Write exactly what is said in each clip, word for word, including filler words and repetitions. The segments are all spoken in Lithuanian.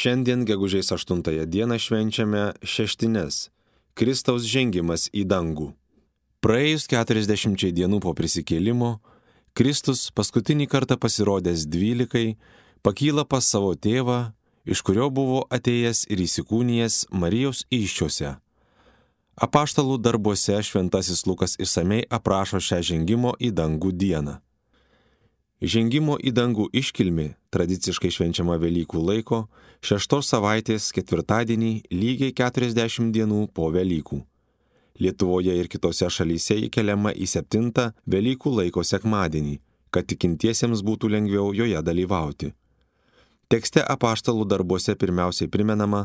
Šiandien gegužės aštuntąją dieną švenčiame šeštines – Kristaus žengimas į dangų. Praėjus keturiasdešimčiai dienų po prisikėlimo, Kristus paskutinį kartą pasirodęs dvylikai pakyla pas savo tėvą, iš kurio buvo atėjęs ir įsikūnijęs Marijos įsčiose. Apaštalų darbuose šventasis Lukas išsamei aprašo šią žengimo į dangų dieną. Žengimo į dangų iškilmė, tradiciškai švenčiama Velykų laiko, šeštos savaitės ketvirtadienį lygiai keturiasdešimt dienų po Velykų. Lietuvoje ir kitose šalyse įkeliama į septintą Velykų laiko sekmadienį, kad tikintiesiems būtų lengviau joje dalyvauti. Tekste apaštalų darbuose pirmiausiai primenama,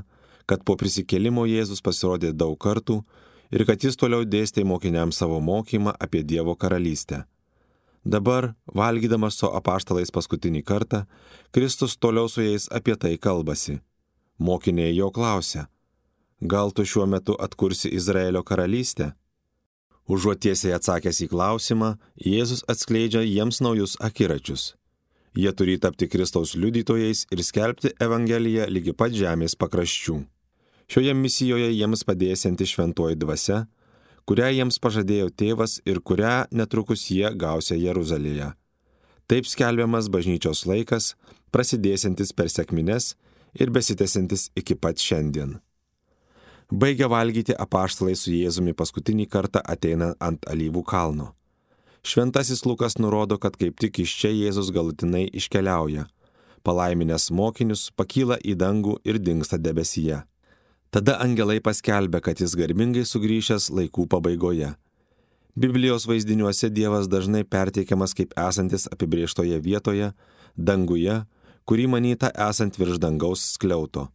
kad po prisikėlimo Jėzus pasirodė daug kartų ir kad jis toliau dėstė mokiniams savo mokymą apie Dievo karalystę. Dabar, valgydamas su apaštalais paskutinį kartą, Kristus toliau su jais apie tai kalbasi. Mokiniai jo klausia: gal tu šiuo metu atkursi Izraelio karalystę? Užuot tiesiai atsakęs į klausimą, Jėzus atskleidžia jiems naujus akiračius. Jie turi tapti Kristaus liudytojais ir skelbti Evangeliją lygi pat žemės pakraščių. Šioje misijoje jiems padėsianti šventoji dvasia, kurią jiems pažadėjo tėvas ir kurią netrukus jie gausia Jeruzalėje. Taip skelbiamas bažnyčios laikas, prasidėsiantis per sekmines ir besitęsiantis iki pat šiandien. Baigia valgyti apaštalai su Jėzumi paskutinį kartą ateina ant Alyvų kalno. Šventasis Lukas nurodo, kad kaip tik iš čia Jėzus galutinai iškeliauja. Palaiminęs mokinius pakyla į dangų ir dingsta debesyje. Tada angelai paskelbia, kad jis garbingai sugrįžęs laikų pabaigoje. Biblijos vaizdiniuose Dievas dažnai perteikiamas kaip esantis apibrėžtoje vietoje, danguje, kurį manyta esant virš dangaus skliauto.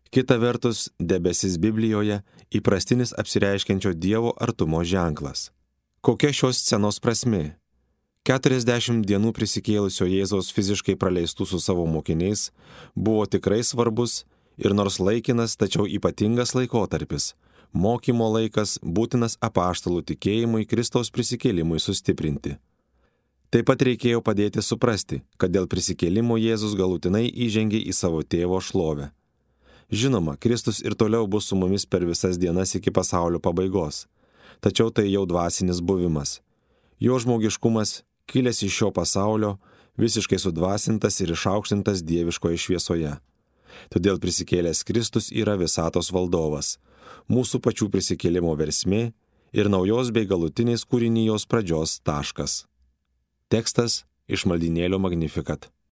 Kita vertus, debesis Biblijoje įprastinis apsireiškiančio Dievo artumo ženklas. Kokia šios scenos prasmė? keturiasdešimt dienų prisikėlusio Jėzaus fiziškai praleistų su savo mokiniais buvo tikrai svarbus ir nors laikinas, tačiau ypatingas laikotarpis, mokymo laikas būtinas apaštalų tikėjimui Kristaus prisikėlimui sustiprinti. Taip pat reikėjo padėti suprasti, kad dėl prisikėlimo Jėzus galutinai įžengė į savo tėvo šlovę. Žinoma, Kristus ir toliau bus su mumis per visas dienas iki pasaulio pabaigos, tačiau tai jau dvasinis buvimas. Jo žmogiškumas, kilęs iš šio pasaulio, visiškai sudvasintas ir išaukštintas dieviškoje šviesoje. Todėl prisikėlęs Kristus yra visatos valdovas, mūsų pačių prisikėlimo versmė ir naujos bei galutinės kūrinijos pradžios taškas. Tekstas iš maldynėlio Magnificat.